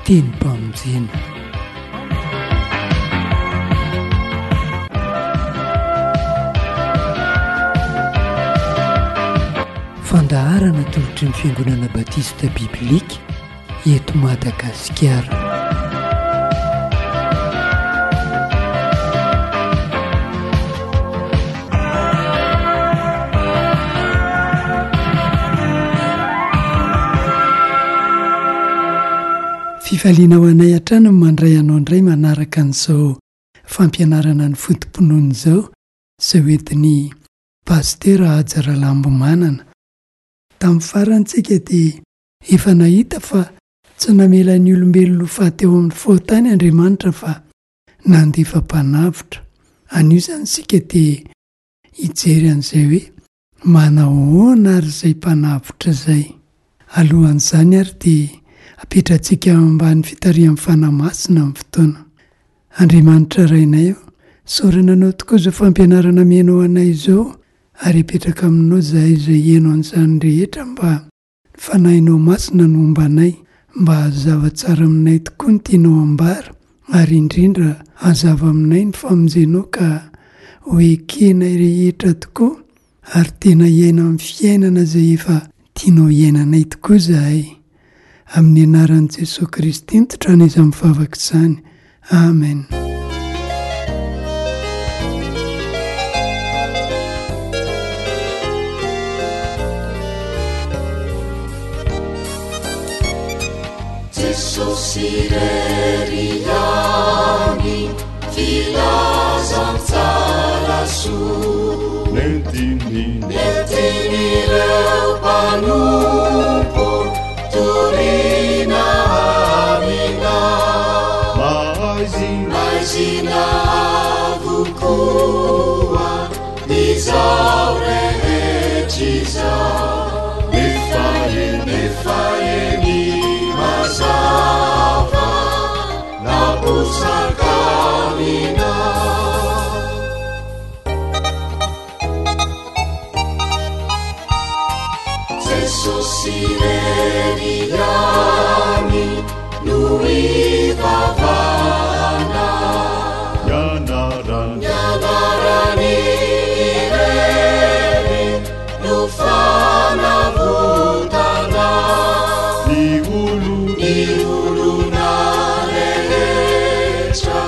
Tenim-pamonjena. Fandaharana atolotry ny Fiangonana Batista Biblika eto Madagasikara. Fifaliana ho anay hatrany ny mandray anao indray manaraka an'izao fampianarana ny foto-pinoana izao, izay hoentin'i Pasitera Haja Ralambomanana. Tamin'ny farany tsika dia efa nahita fa tsy namela ny olombelona ho faty eo amin'ny fahotany Andriamanitra fa nandefa mpanavotra. Anio izany isika dia hijery an'izay hoe manahoana ary izay mpanavotra izay. Alohan'izany ary dia apetratsika ao ambany fitarihan'ny Fanahy Masina ny fotoana. Andriamanitra Rainay o, isaorana Anao tokoa izao fampianarana amenao anay izao ary apetraka aminao izahay izay hihaino an'izany rehetra mba Ny Fanahinao Masina no homba anay, mba hazava tsara aminay tokoa ny tianao hambara, ary indrindra hazava aminay ny famonjenao ka ho ekenay rehetra tokoa ary tena hiaina amin'ny fiainana izay efa tianao hiainanay tokoa izahay. Amin'ny anaran'i Jesoa Kristy nitondrana izany vavaka izany. Amen. Jesosy irery ihany filazantsara soa Nentiny Nentin'ireo mpanompo Torina amina. Maizina. Maizina avokoa izao rehetra izao. Nefa eny. Nefa eny mazava naposaka amina. Jesosy irery ihany no ivavahana. Ny anarany. Ny anarany irery no fanavotana. Ny olona. Ny olona rehetra.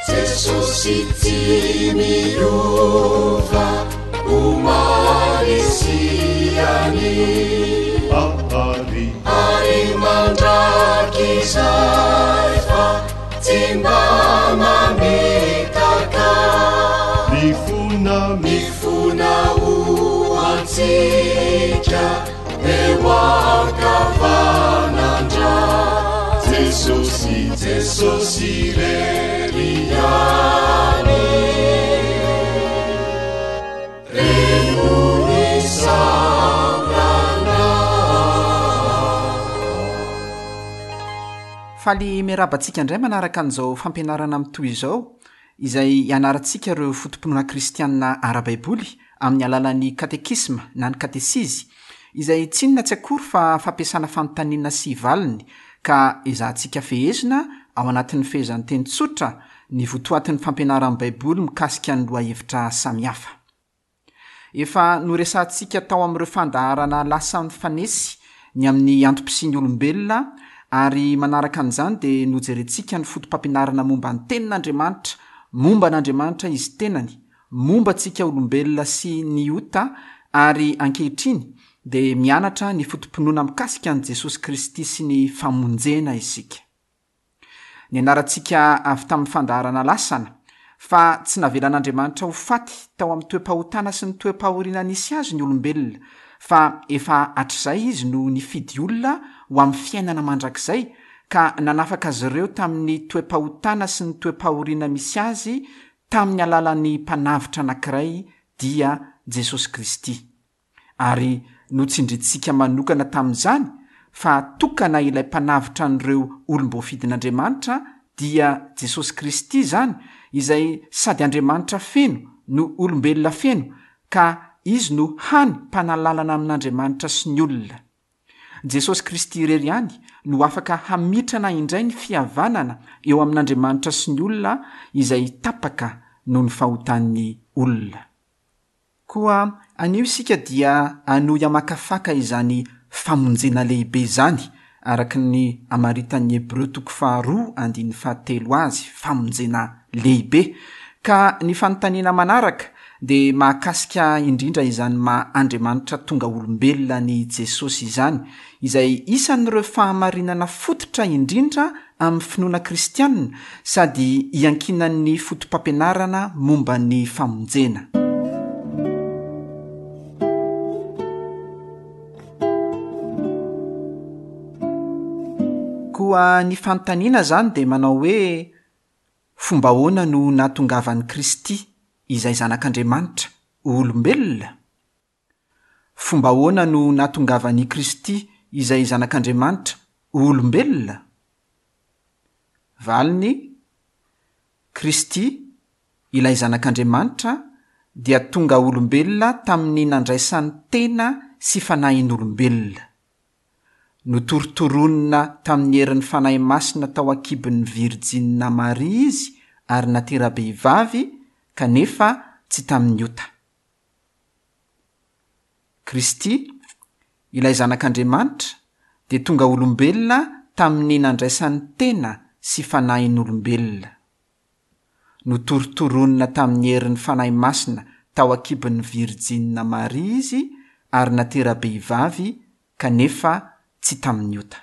Jesosy tsy miova omaly sy anio. Ary. Ary mandrakizay fa tsy mba mamitaka. Mifona, mifona ho antsika eo ankavanandra. Jesosy, Jesosy irery ihany. Faly miarahaba antsika indray manaraka an'izao fampianarana mitohy izao, izay hianarantsika ireo foto-pinoana kristianina ara-baiboly amin'ny alalan'ny katekisma na ny katesizy, izay tsy inona tsy akory fa fampiasana fanontaniana sy valiny, ka ezahantsika fehezina ao anatin'ny fehezanteny tsotra ny votoatin'ny fampianaran'ny Baiboly mikasika ny lohahevitra samihafa. Efa noresahantsika tao amin'ireo fandaharana lasa nifanesy ny amin'ny antom-pisian'ny olombelona ary manaraka an'izany dia nojerentsika ny foto-pampianarana momba ny Tenin'Andriamanitra, momba an'Andriamanitra Izy tenany, momba antsika olombelona sy ny ota ary ankehitriny dia mianatra ny foto-pinoana mikasika an'i Jesosy Kristy sy ny famonjena isika. Nianarantsika avy tamin'ny fandaharana lasana fa tsy navelan'Andriamanitra ho faty tao amin'ny toe-pahotana sy ny toe-pahoriana nisy azy ny olombelona, fa efa hatrizay Izy no nifidy olona ho amin'ny fiainana mandrakizay ka nanafaka azy ireo tamin'ny toe-pahotana sy ny toe-pahoriana misy azy tamin'ny alalan'ny Mpanavotra anankiray dia Jesosy Kristy. Ary notsindrintsika manokana tamin'izany fa tokana ilay Mpanavotra an'ireo olom-boafidin'Andriamanitra dia Jesosy Kristy izany izay sady Andriamanitra feno no olombelona feno ka Izy no hany mpanalalana amin'Andriamanitra sy ny olona. Jesosy Kristy irery ihany no afaka hamitrana indray ny fihavanana eo amin'Andriamanitra sy ny olona izay tapaka noho ny fahotan'ny olona. Koa anio isika dia hanohy hamakafaka izany famonjena lehibe izany, araka ny amaritan'ny Hebreo toko faharoa andininy fahatelo azy, famonjena lehibe. Ka ny fanontaniana manaraka dia mahakasika indrindra izany maha Andriamanitra tonga olombelona an'i Jesosy izany, izay isan'ireo fahamarinana fototra indrindra amin'ny finoana kristianina sady iankinan'ny fotopampianarana momba ny famonjena. Koa ny fanontaniana izany dia manao hoe, Fomba ahoana no nahatongavan'i Kristy, izay Zanak'Andriamanitra, ho olombelona? Fomba ahoana no nahatongavan' i Kristy izay Zanak' Andriamanitra ho olombelona? Valiny, Kristy, ilay Zanak' Andriamanitra, dia tonga olombelona tamin' ny nandraisany tena sy fanahin' olombelona. Notorontoronina tamin' ny herin' ny Fanahy Masina tao an-kibon' ny Virjinina Maria Izy ary natera-behivavy, kanefa tsy tamin' ny ota. Kristy, ilay Zanak'Andriamanitra, dia tonga olombelona tamin'ny nandraisany tena sy fanahin'olombelona. Notorontoronina tamin'ny herin'ny Fanahy Masina tao an-kibon'ny Virjinina Maria Izy ary natera-behivavy kanefa tsy tamin'ny ota.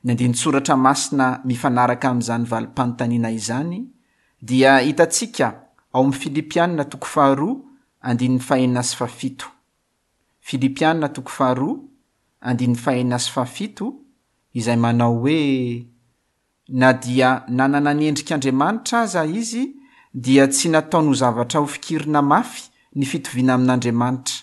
Ny andinin-tsoratra masina mifanaraka amin'izany valim-panontaniana izany dia hitantsika ao amin'ny Filipiana toko faharoa andininy fahenina sy fahafito. Filipiana toko faharoa andininy fahenina sy fahafito izay manao hoe, Na dia nanana ny endrik'Andriamanitra aza izy dia tsy nataony ho zavatra hofikirina mafy ny fitoviana amin'Andriamanitra,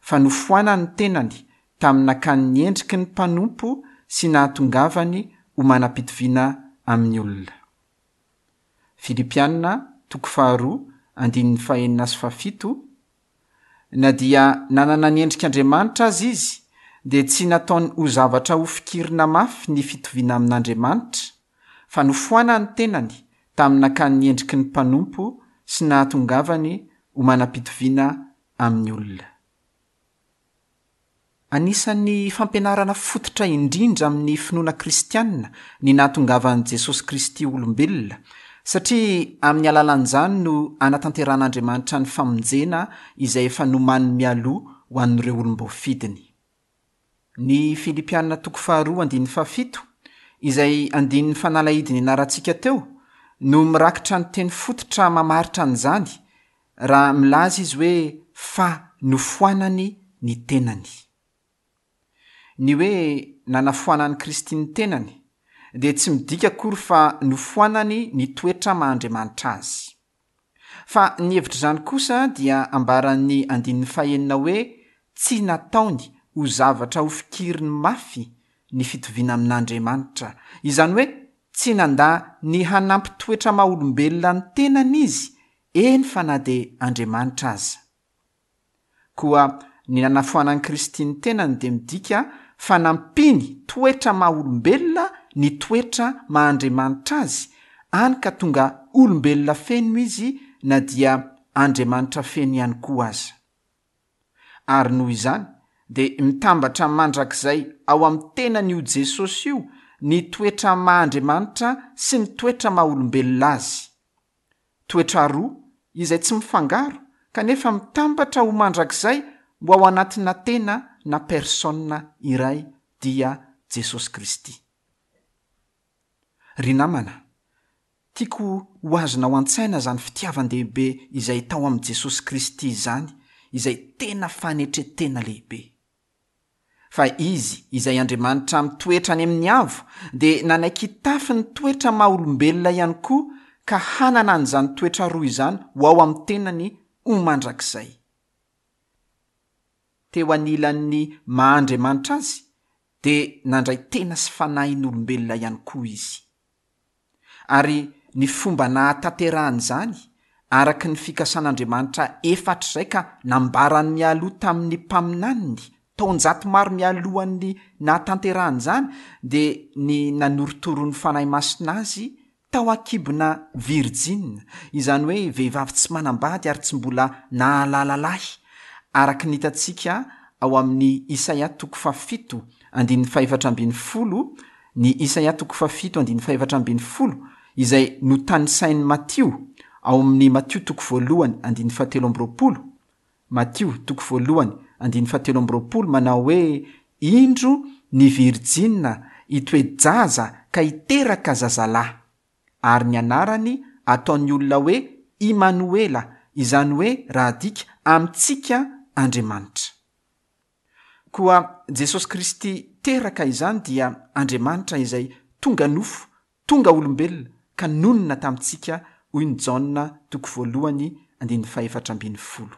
fa nofoanany ny tenany tamin'ny nakany ny endriky ny mpanompo sy nahatongavany ho manam-pitoviana amin'ny olona. Filipiana toko faharoa andininy fahenina sy fahafito Na dia nanana ny endrik'Andriamanitra aza izy, dia tsy nataony ho zavatra hofikirina mafy ny fitoviana amin'Andriamanitra, fa nofoanany ny tenany tamin'ny nakany ny endriky ny mpanompo sy nahatongavany ho manam-pitoviana amin'ny olona. Anisan'ny fampianarana fototra indrindra amin'ny finoana kristianina ny nahatongavan'i Jesosy Kristy ho olombelona, satria amin'ny alalan'izany no anatanterahan'Andriamanitra ny famonjena izay efa nomaniny mialoha ho an'ireo olom-boafidiny. Ny Filipiana toko faharoa andininy fahafito, izay andininy fanalahidy nianarantsika teo, no mirakitra ny teny fototra mamaritra an'izany, Raha milaza izy hoe fa nofoanany ny tenany. Ny hoe nanafoanan'i Kristy ny tenany dia tsy midika akory fa nofoanany ny toetra maha Andriamanitra azy. Fa ny hevitr'izany kosa dia ambaran'ny andininy fahenina hoe tsy nataony ho zavatra hofikiriny mafy ny fitoviana amin'Andriamanitra, izany hoe tsy nandà ny hanampy toetra maha olombelona ny tenany izy Eny fa na dia Andriamanitra aza. Koa ny nanafoanan'i Kristy ny tenany dia midika fa nampiany toetra maha olombelona ny toetra maha Andriamanitra azy, any ka tonga olombelona feno izy na dia Andriamanitra feno ihany koa aza. Ary noho izany dia mitambatra mandrakizay ao amin'ny tenan'io Jesosy io ny toetra maha Andriamanitra sy ny toetra maha olombelona azy. Toetra roa izay tsy mifangaro kanefa mitambatra ho mandrakizay ho ao anatina tena na personne iray dia Jesosy Kristy. Ry namana, tiako ho azonao an-tsaina izany fitiavan-dehibe izay tao amin'i Jesosy Kristy izany izay tena fanetren-tena lehibe. Fa Izy, izay Andriamanitra mitoetra any amin'ny avo, dia nanaiky hitafy ny toetra maha olombelona ihany koa ka hanana an'izany toetra roa izany ho ao amin'ny tenany ho mandrakizay. Teo anilan'ny maha Andriamanitra Azy dia nandray tena sy fanahin'olombelona ihany koa Izy. Ary ny fomba nahatanterahany izany, araka ny fikasan'Andriamanitra efa hatrizay ka nambarany mialoha tamin'ny mpaminaniny, taonjato maro mialohan'ny nahatanterahany izany, dia ny nanorotoroan'ny Fanahy Masina azy tao an-kibona virjina, izany hoe vehivavy tsy manambady ary tsy mbola nahalala lahy, araka ny hitantsika ao amin'ny Isaia toko fahafito andininy fahefatra 14, ny Isaia toko fahafito andininy fahefatra 14, izay notanisain'i Matio ao amin'ny Matio toko voalohany andininy fahatelo amby 20, Matio toko voalohany andininy fahatelo 23 manao hoe, Indro ny virjina hitoe-jaza ka hiteraka zazalahy, ary ny anarany ataon'ny olona hoe Imanoela, izany hoe raha adika, amintsika Andriamanitra. Koa Jesosy Kristy teraka izany dia Andriamanitra izay tonga nofo, tonga olombelona ka nonina tamintsika hoy ny Jaona toko voalohany andininy fahefatra 14.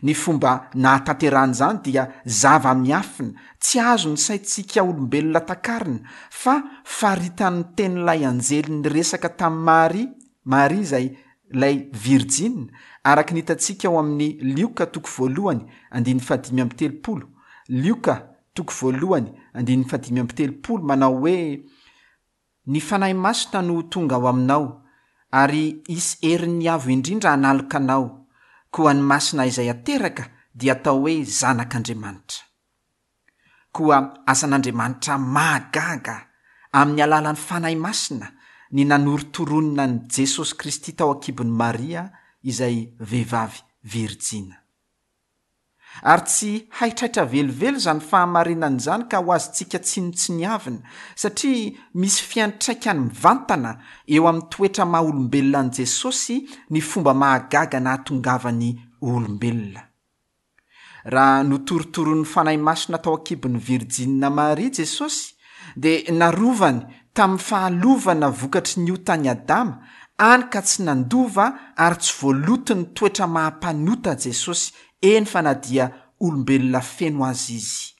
Ny fomba nahatanterahany izany dia zava-miafina, tsy azon'ny saintsika olombelona takarina, fa faritan'ny tenin'ilay anjely niresaka tamin'i Maria, Maria izay ilay virjina, araka ny hitantsika ao amin'ny Lioka toko voalohany andininy fahadimy amby 30, Lioka toko voalohany andininy fahadimy amby 30 manao hoe, Ny Fanahy Masina no ho tonga ao aminao, ary hisy herin'ny Avo Indrindra hanaloka anao, koa ny Masina izay hateraka dia hatao hoe Zanak'Andriamanitra. Koa asan'Andriamanitra mahagaga, amin'ny alalan'ny Fanahy Masina, ny nanorotoroana an'i Jesosy Kristy tao an-kibon'i Maria izay vehivavy virjina. Ary tsy haitraitra velively izany fahamarinana izany ka ho azontsika tsinontsiniavina, satria misy fiantraikany mivantana eo amin'ny toetra maha olombelona an'i Jesosy ny fomba mahagaga nahatongavany ho olombelona. Raha notorotoronin'ny Fanahy Masina tao an-kibon'ny Virjinina Maria Jesosy, dia narovany tamin'ny fahalovana vokatry ny otan'i Adama, any ka tsy nandova ary tsy voaloton'ny toetra maha mpanota Jesosy, eny fa na dia olombelona feno aza Izy.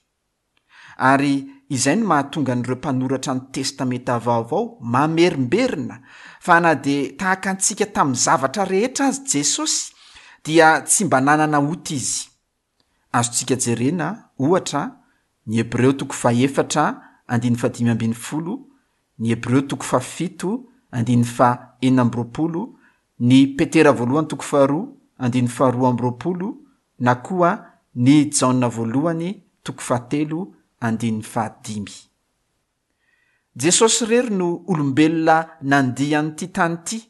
Ary izay no mahatonga an'ireo mpanoratra ny Testamenta Vaovao mamerimberina fa na dia tahaka antsika tamin'ny zavatra rehetra aza Jesosy dia tsy mba nanana ota Izy. Azontsika jerena, ohatra, ny Hebreo toko fahefatra andininy fahadimy 15, ny Hebreo toko fahafito andininy fahenina amby 20, ny Petera voalohany toko faharoa andininy faharoa amby 20, na koa ny Jaona voalohany toko fahatelo andininy fahadimy. Jesosy irery no olombelona nandia an'ity tany ity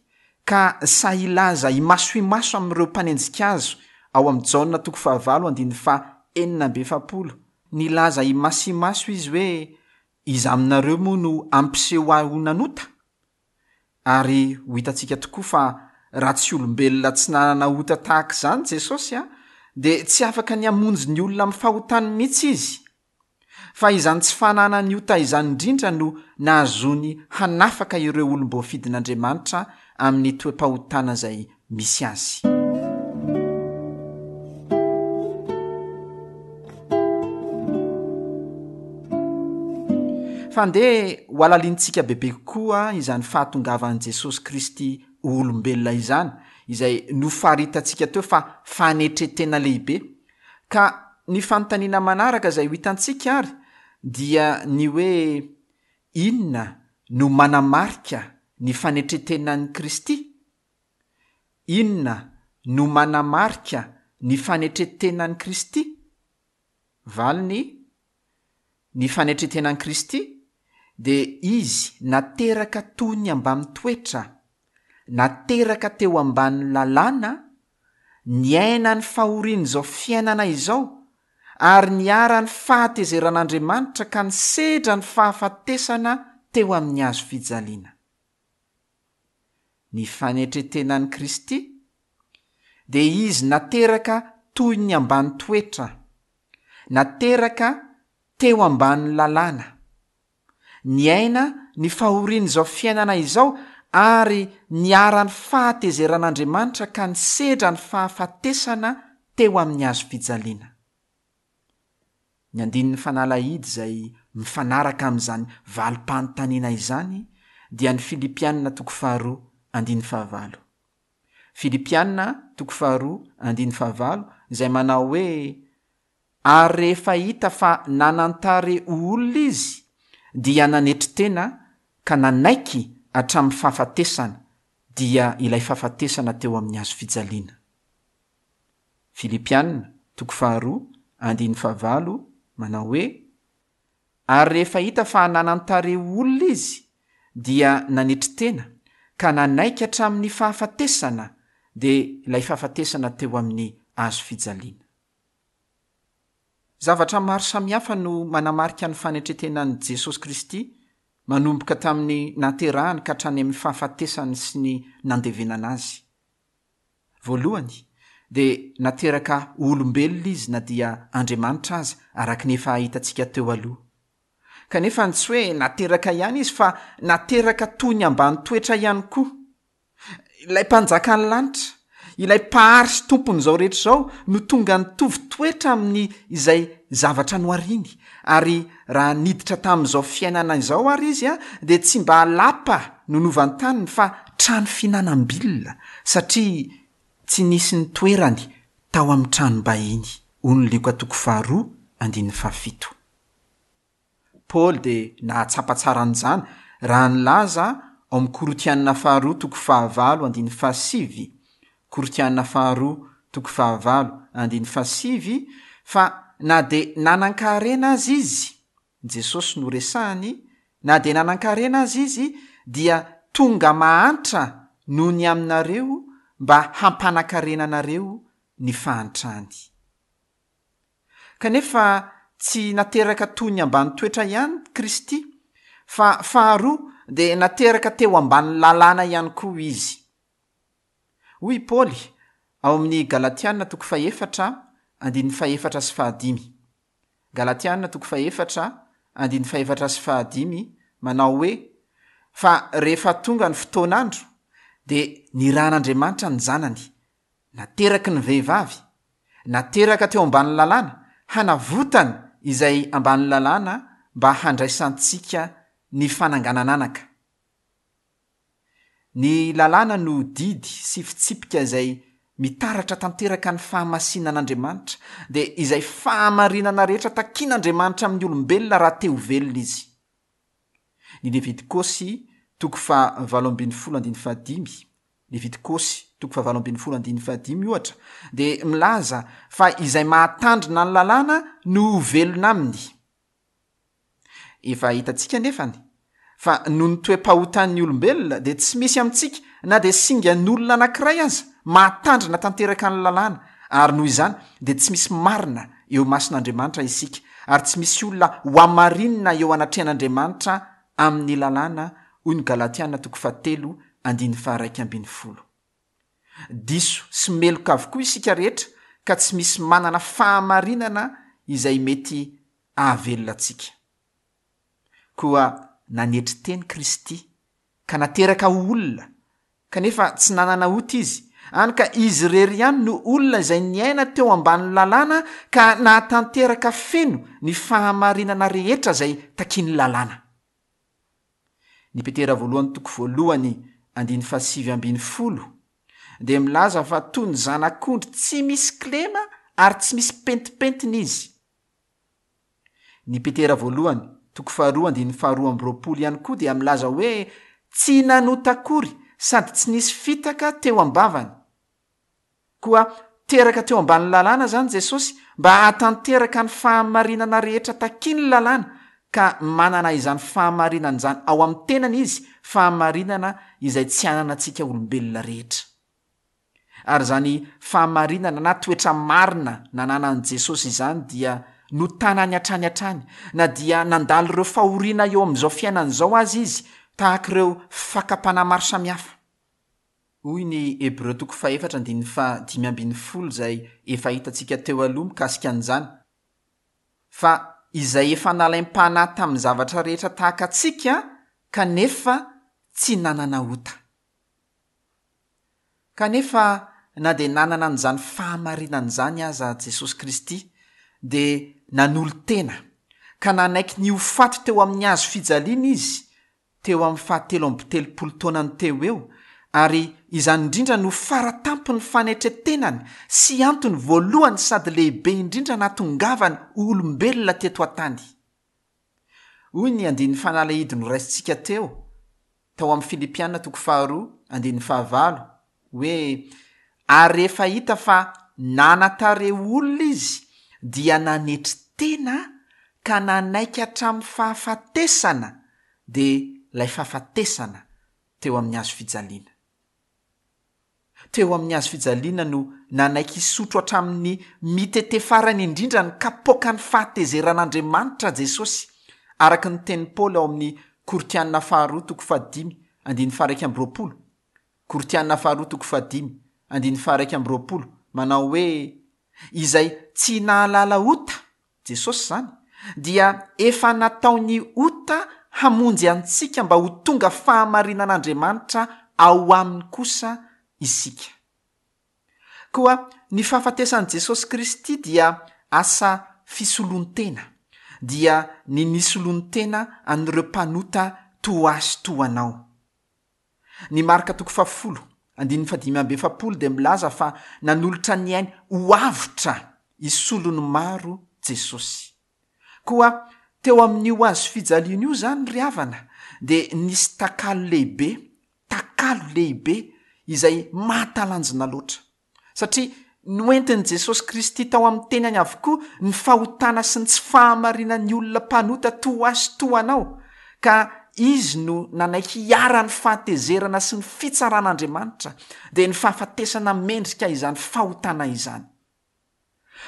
ka sahy hilaza imaso imaso amin'ireo mpanenjika azy ao amin'ny Jaona toko fahavalo andininy faha 46, nilaza imaso imaso izy hoe, Iza aminareo moa no hampiseho ahy ho nanota? Ary ho hitantsika tokoa fa raha tsy olombelona tsy nanana ota tahaka izany Jesosy dia tsy afaka ny hamonjy ny olona amin'ny fahotany mihitsy Izy. Fa izany tsy fananany ota izany indrindra no nahazoany hanafaka ireo olom-boafidin'Andriamanitra amin'ny toe-pahotana izay misy azy. Fa andeha ho halalinintsika bebe kokoa izany fahatongavan'i Jesosy Kristy ho olombelona izany, izay nofaritantsika teo fa fanetren-tena lehibe. Ka ny fanontaniana manaraka izay ho hitantsika ary dia ny hoe inona no manamarika ny fanetren-tenan'i Kristy? Inona no manamarika ny fanetren-tenan'i Kristy? Valiny, Ny fanetren-tenan'i Kristy dia Izy nateraka toy ny ambany toetra, nateraka teo ambanin'ny lalàna, niaina ny fahorian'izao fiainana izao, ary niharan'ny fahatezeran'Andriamanitra ka nisedra ny fahafatesana teo amin'ny hazo fijaliana. Ny fanetren-tenan'i Kristy dia Izy nateraka toy ny ambany toetra, nateraka teo ambanin'ny lalàna, niaina ny fahorian'izao fiainana izao ary niharan'ny fahatezeran'Andriamanitra ka nisedra ny fahafatesana teo amin'ny hazo fijaliana. Ny andininy fanalahidy izay mifanaraka amin'izany valim-panontaniana izany dia ny Filipiana toko faharoa andininy fahavalo. Filipiana toko faharoa andininy fahavalo izay manao hoe, Ary rehefa hita fa nanan-tarehy ho olona izy, dia nanetry tena ka nanaiky hatramin'ny fahafatesana, dia ilay fahafatesana teo amin'ny hazo fijaliana. Filipiana, toko faharoa, andininy fahavalo, manao hoe, Ary rehefa hita fa nanan-tarehy ho olona izy, dia nanetry tena, ka nanaiky hatramin'ny fahafatesana, dia ilay fahafatesana teo amin'ny hazo fijaliana. Zavatra maro samihafa no manamarika ny fanetren-tenan'i Jesosy Kristy manomboka tamin'ny nahaterahany ka hatrany amin'ny fahafatesany sy ny nandevenana azy. Voalohany, dia nateraka ho olombelona izy na dia Andriamanitra aza, araka ny efa hitantsika teo aloha. Kanefa tsy hoe nateraka ihany izy fa nateraka toy ny ambany toetra ihany koa. Ilay Mpanjakan'ny lanitra, ilay Mpahary sy Tompon'izao rehetra izao no tonga nitovy toetra amin'ny izay zavatra nohariny, ary raha niditra tamin'izao fiainana izao ary izy dia tsy mba lapa no novantaniny fa trano fihinanam-bilona satria tsy nisy nitoerany tao amin'ny tranom-bahiny, hoy ny Lioka toko faharoa andininy fahafito. Paoly dia nahatsapa tsara an'izany raha nilaza ao amin'ny Korintiana faharoa toko fahavalo andininy fahasivy, Korintiana faharoa toko fahavalo andininy fahasivy, fa na dia nanan-karena aza izy, Jesosy no resahany, na dia nanan-karena aza izy dia tonga mahantra noho ny aminareo mba hampanan-karena anareo ny fahantrany. Kanefa tsy nateraka toy ny ambany toetra ihany Kristy, fa faharoa dia nateraka teo ambanin'ny lalàna ihany koa Izy. Hoy i Paoly ao amin'ny Galatiana toko fahefatra andininy fahefatra sy fahadimy, Galatiana toko fahefatra andininy fahefatra sy fahadimy manao hoe, Fa rehefa tonga ny fotoan'andro, dia nirahan'Andriamanitra ny Zanany, Nateraky ny vehivavy, nateraka teo ambanin'ny lalàna, hanavotany izay ambanin'ny lalàna mba handraisantsika ny fananganan'anaka. Ny lalàna no didy sy fitsipika izay mitaratra tanteraka ny fahamasinan'Andriamanitra, dia izay fahamarinana rehetra takian'Andriamanitra amin'ny olombelona raha te ho velona izy. Ny Levitikosy toko faha 18 andininy fahadimy, Levitikosy toko faha 18 andininy fahadimy ohatra dia milaza fa izay mahatandrina ny lalàna no ho velona aminy. Efa hitantsika anefany fa noho ny toe-pahotan'ny olombelona dia tsy misy amintsika na dia singan'olona anankiray aza mahatandrina tanteraka ny lalàna ary noho izany dia tsy misy marina eo imason'Andriamanitra isika ary tsy misy olona hohamarinina eo anatrehan'Andriamanitra amin'ny lalàna hoy ny Galatiana toko fahatelo andininy faha-11. Diso sy meloka avokoa isika rehetra ka tsy misy manana fahamarinana izay mety ahavelona antsika. Koa nanetry teny Kristy ka nateraka ho olona, kanefa tsy nanana ota Izy, hany ka Izy irery ihany no olona izay niaina teo ambanin'ny lalàna ka nahatanteraka feno ny fahamarinana rehetra izay takian'ny lalàna. Ny Petera voalohany toko voalohany andininy fahasivy ambin'ny folo dia milaza fa toy ny zanak'ondry tsy misy kilema ary tsy misy pentimpentina izy. Ny Petera voalohany toko faharoa andininy faharoa amby roapolo ihany koa dia milaza hoe tsy nanota akory sady tsy nisy fitaka teo am-bavany. Koa teraka teo ambanin'ny lalàna izany Jesosy mba hahatanteraka ny fahamarinana rehetra takian'ny lalàna, ka manana izany fahamarinana izany ao amin'ny tenany Izy, fahamarinana izay tsy ananantsika olombelona rehetra. Ary izany fahamarinana na toetra marina nananan'i Jesosy izany dia notanany hatrany hatrany, na dia nandalo ireo fahoriana eo amin'izao fiainana izao aza Izy, tahaka ireo fakam-panahy maro samihafa. Hoy ny Hebreo toko fahefatra andininy faha-15 izay efa hitantsika teo aloha mikasika an'izany, Fa izay efa nalaim-panahy tamin'ny zavatra rehetra tahaka antsika kanefa tsy nanana ota. Kanefa na dia nanana an'izany fahamarinana izany aza Jesosy Kristy, dia nanolo-tena ka nanaiky ny ho faty teo amin'ny hazo fijaliana Izy teo amin'ny fahatelo amby telopolo taonany teo ho eo, ary izany indrindra no fara tampon'ny fanetren-tenany sy antony voalohany sady lehibe indrindra nahatongavany ho olombelona teto an-tany. Hoy ny andininy fanalahidy noraisintsika teo, tao amin'ny Filipiana toko faharoa andininy fahavalo, hoe, Ary rehefa hita fa nanan-tarehy olona izy, dia nanetry tena ka nanaiky hatramin'ny fahafatesana, dia ilay fahafatesana teo amin'ny hazo fijaliana. Teo amin'ny hazo fijaliana no nanaiky hisotro hatramin'ny mitete farany indrindra ny kapoakan'ny fahatezeran'Andriamanitra Jesosy, araka ny tenin'i Paoly ao amin'ny Korintiana faharoa toko fahadimy andininy faha-21, Korintiana faharoa toko fahadimy andininy faha-21, manao hoe, Izay tsy nahalala ota, Jesosy izany, dia efa nataony ota hamonjy antsika mba ho tonga fahamarinan'Andriamanitra ao aminy kosa isika. Koa ny fahafatesan'i Jesosy Kristy dia asa fisoloan-tena, dia ny nisoloany tena an'ireo mpanota toa ahy sy toa anao. Ny Marka toko fahafolo, andininy fahadimy amby efapolo dia milaza fa nanolotra ny ainy ho avotra hisolo ny maro Jesosy. Koa teo amin'io hazo fijaliana io izany ry havana dia nisy takalo lehibe, takalo lehibe izay mahatalanjona loatra. Satria noentin'i Jesosy Kristy tao amin'ny tenany avokoa ny fahotana sy ny tsy fahamarinan'ny olona mpanota toa ahy sy toa anao, ka Izy no nanaiky hiharan'ny fahatezerana sy ny fitsaran'Andriamanitra, dia ny fahafatesana mendrika izany fahotana izany.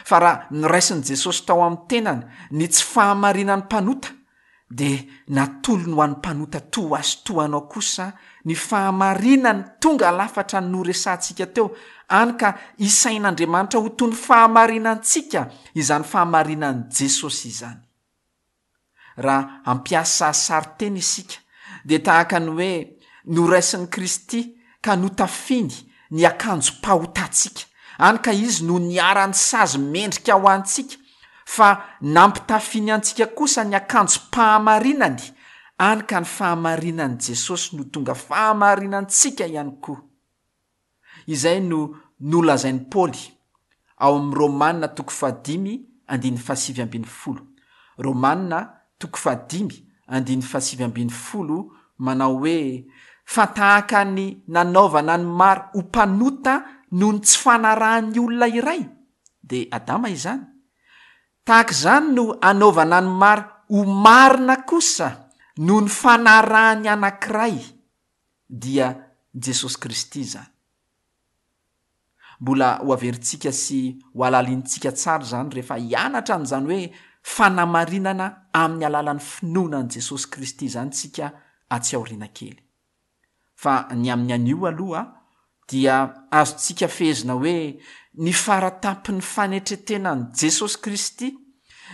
Fa raha noraisin'i Jesosy tao amin'ny tenany ny tsy fahamarinan'ny mpanota, dia natolony ho an'ny mpanota toa ahy sy toa anao kosa ny fahamarinany tonga lafatra noresahantsika teo, hany ka isain'Andriamanitra ho toy ny fahamarinantsika izany fahamarinan'i Jesosy izany. Raha hampiasa sarin-teny isika, dia tahaka ny hoe noraisin'i Kristy ka notafiny ny akanjom-pahotantsika, hany ka Izy no niharan'ny sazy mendrika ho antsika, fa nampitafiny antsika kosa ny akanjom-pahamarinany, hany ka ny fahamarinan'i Jesosy no tonga fahamarinantsika ihany koa. Izay no nolazain'i Paoly ao amin'ny Romana toko fahadimy andininy fahasivy ambin'ny folo. Romana toko fahadimy andininy fahasivy ambin'ny folo manao hoe, Fa tahaka ny nanaovana ny maro ho mpanota noho ny tsy fanarahan'ny olona iray, dia Adama izany, tahaka izany no anaovana ny maro ho marina kosa noho ny fanarahan'ny anankiray, dia Jesosy Kristy izany. Mbola ho averintsika sy ho halalinintsika tsara izany rehefa hianatra an'izany hoe fanamarinana amin'ny alalan'ny finoana an'i Jesosy Kristy izany isika atsy aoriana kely. Fa ny amin'ny anio aloha dia azontsika fehezina hoe ny fara-tampon'ny fanetren-tenan'i Jesosy Kristy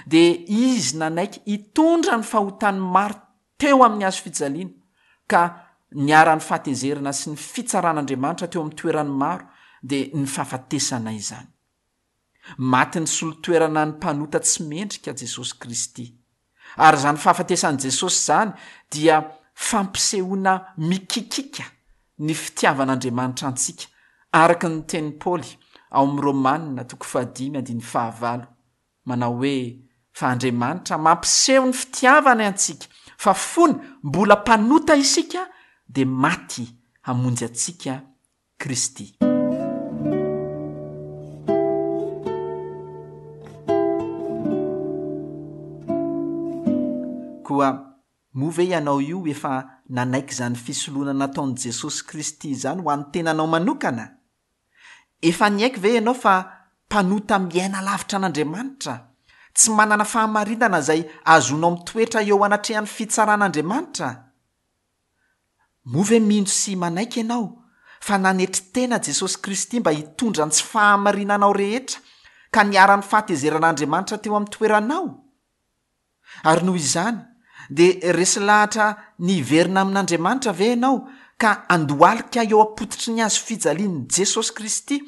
dia Izy nanaiky hitondra ny fahotan'ny maro teo amin'ny hazo fijaliana, ka niharan'ny fahatezerana sy ny fitsaran'Andriamanitra teo amin'ny toerany maro, dia ny fahafatesana izany. Maty nisolo toerana ny mpanota tsy mendrika Jesosy Kristy. Ary izany fahafatesan'i Jesosy izany dia fampisehoana mikikika ny fitiavan'Andriamanitra antsika, araka ny tenin'i Paoly ao amin'ny Romana toko fahadimy andininy fahavalo, manao hoe, Fa Andriamanitra mampiseho ny fitiavany antsika, fa fony mbola mpanota isika, dia maty hamonjy antsika Kristy. Koa moa ve ianao io efa nanaiky izany fisoloana nataon'i Jesosy Kristy izany ho an'ny tenanao manokana? Efa niaiky ve ianao fa mpanota miaina lavitra an'Andriamanitra, tsy manana fahamarinana izay ahazoanao mitoetra eo anatrehan'ny fitsaran'Andriamanitra? Moa ve mino sy manaiky ianao fa nanetry tena Jesosy Kristy mba hitondra ny tsy fahamarinanao rehetra ka niharan'ny fahatezeran'Andriamanitra teo amin'ny toeranao? Ary noho izany, dia resy lahatra ny hiverina amin'Andriamanitra ve ianao ka handohalika eo am-pototry ny hazo fijalian'i Jesosy Kristy?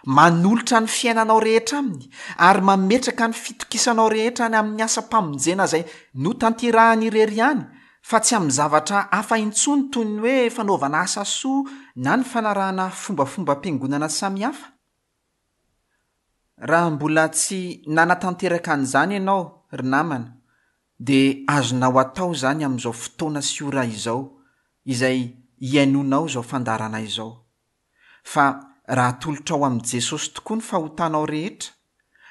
Manolotra ny fiainanao rehetra Aminy ary mametraka ny fitokisanao rehetra any amin'ny asam-pamonjena izay notanterahany irery ihany fa tsy amin'ny zavatra hafa intsony toy ny hoe fanaovana asa soa na ny fanarahana fombafombam-piangonana samihafa? Raha mbola tsy nanatanteraka an'izany ianao, ry namana, dia azonao atao izany amin'izao fotoana sy ora izao izay ihainoanao izao fandaharana izao. Fa raha atolotrao amin'i Jesosy tokoa ny fahotanao rehetra,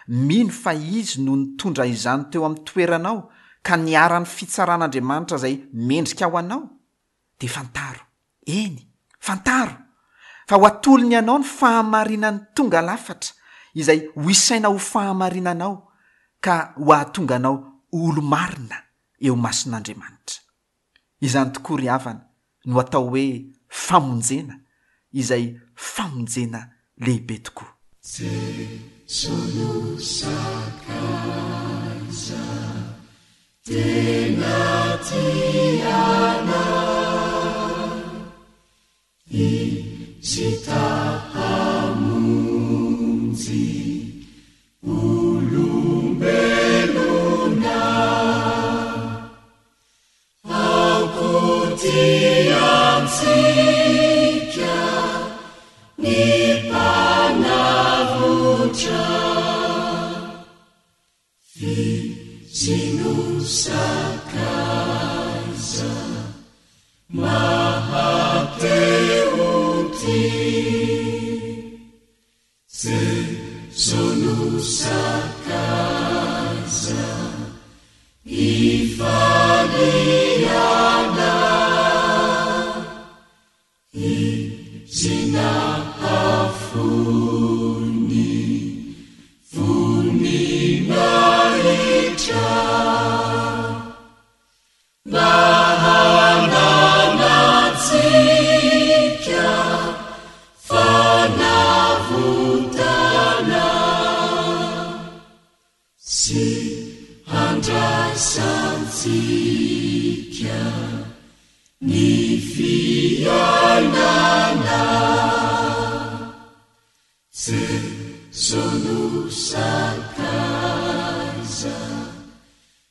mino fa Izy no nitondra izany teo amin'ny toeranao ka niharan'ny fitsaran'Andriamanitra izay mendrika ho anao, dia fantaro, eny, fantaro, fa ho atolony anao ny fahamarinany tonga lafatra izay ho isaina ho fahamarinanao ka ho ahatonga anao ho olo-marina eo imason'Andriamanitra. Izany tokoa ry havana no atao hoe famonjena, izay famonjena lehibe tokoa. Jeso no sakaiza tena tia anay. Izy ta hamonjy olombelona. Aokotia antsika ny Mpanavotra. Izy no sakaiza maha-te ho tia. Jeso no sakaiza ifaliana. Izy nahafoy ny voninahitra. Mba hananantsika fanavotana sy handraisantsika ny fiainana. Jeso no sakaiza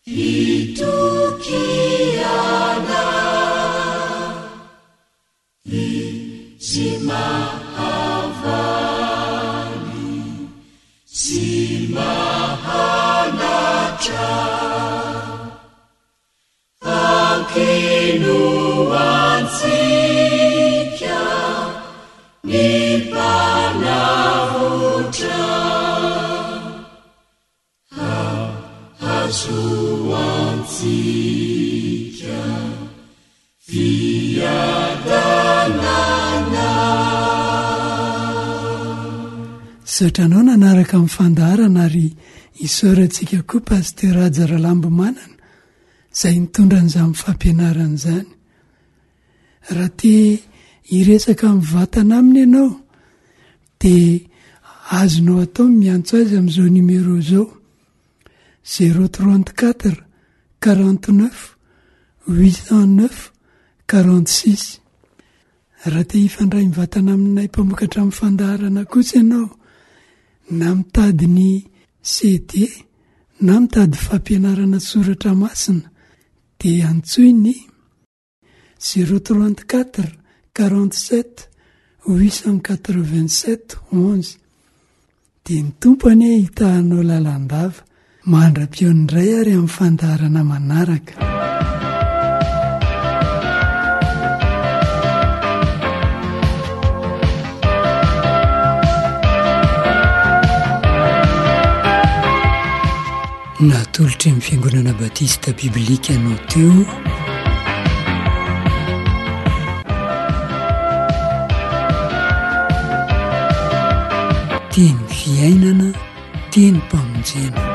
itokiana. Izy mahavaly sy mahanatra. Ankino antsika ny Mpanavotra, hahazoantsika fiadanana. Misaotra anao nanaraka ny fandaharana ary isaorantsika koa Pasteur Haja Ralambomanana izay nitondra an'izany fampianarana izany. Raha te hiresaka mivantana aminy ianao dia azonao atao ny miantso azy amin'izao numéro izao, zéro trente quatre, 49 809 46. Raha te hifandray mivantana aminay mpamokatra amin'ny fandaharana kosa ianao, na mitady ny CD na mitady fampianarana soratra masina dia antsoy ny 034 47 887 11. Dia ny Tompo anie hitahanao lalandava. Mandra-pihaona indray ary amin'ny fandaharana manaraka. Natolotry ny Fiangonana Batista Biblika anao teo. Teny fiainana, tenim-pamonjena.